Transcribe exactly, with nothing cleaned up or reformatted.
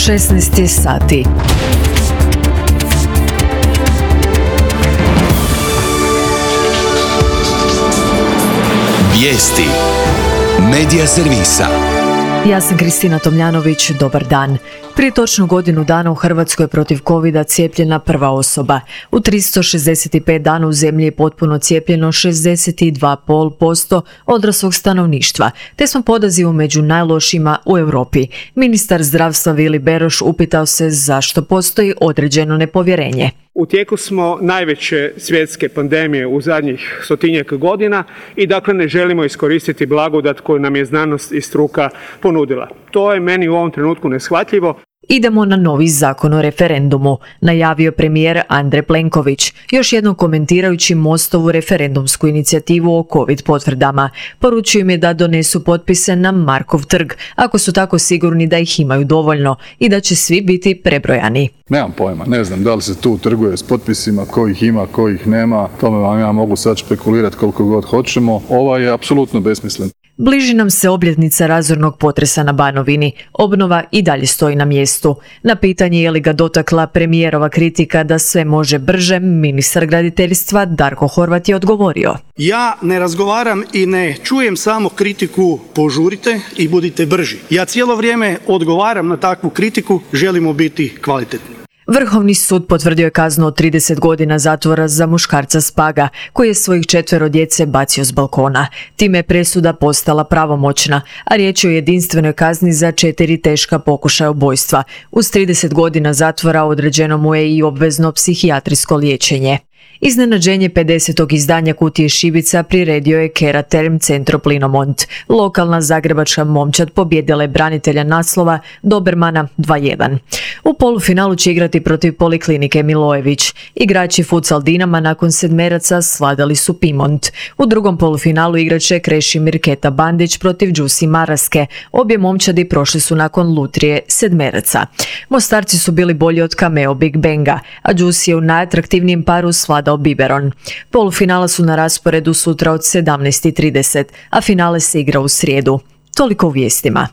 šesnaest sati. Vijesti Medija servisa. Ja sam Kristina Tomljanović, dobar dan. Prije točno godinu dana u Hrvatskoj je protiv covida cijepljena prva osoba. U tristo šezdeset pet dana u zemlji je potpuno cijepljeno šezdeset dva zarez pet posto odraslog stanovništva, te smo po odazivu među najlošijima u Europi. Ministar zdravstva Vili Beroš upitao se zašto postoji određeno nepovjerenje. U tijeku smo najveće svjetske pandemije u zadnjih stotinjak godina i dakle ne želimo iskoristiti blagodat koju nam je znanost i struka ponudila. To je meni u ovom trenutku neshvatljivo. Idemo na novi zakon o referendumu, najavio premijer Andrej Plenković, još jednom komentirajući Mostovu referendumsku inicijativu o covid potvrdama. Poručio im je da donesu potpise na Markov trg, ako su tako sigurni da ih imaju dovoljno i da će svi biti prebrojani. Nemam pojma, ne znam da li se tu trguje s potpisima, kojih ima, kojih nema, tome vam ja mogu sad špekulirati koliko god hoćemo. Ova je apsolutno besmislen. Bliži nam se obljetnica razornog potresa na Banovini. Obnova i dalje stoji na mjestu. Na pitanje je li ga dotakla premijerova kritika da sve može brže, ministar graditeljstva Darko Horvat je odgovorio. Ja ne razgovaram i ne čujem samo kritiku požurite i budite brži. Ja cijelo vrijeme odgovaram na takvu kritiku, želimo biti kvalitetni. Vrhovni sud potvrdio je kaznu od trideset godina zatvora za muškarca s Paga, koji je svojih četvero djece bacio s balkona. Time je presuda postala pravomoćna, a riječ je o jedinstvenoj kazni za četiri teška pokušaja ubojstva. Uz trideset godina zatvora određeno mu je i obvezno psihijatrijsko liječenje. Iznenađenje pedesetog izdanja Kutije šibica priredio je Kera Term Centro Plinomont. Lokalna zagrebačka momčad pobijedila je branitelja naslova Dobermana dva jedan. U polufinalu će igrati protiv Poliklinike Milojević. Igrači futsal Dinama nakon sedmeraca svladali su Pimont. U drugom polufinalu igraće Krešimir Keta Bandić protiv Đusi Maraske. Obje momčadi prošli su nakon lutrije sedmeraca. Mostarci su bili bolji od Cameo Big Banga, a Đusi je u najatraktivnijem paru svladao Biberon. Polufinala su na rasporedu sutra od sedamnaest i trideset, a finale se igra u srijedu. Toliko u vijestima.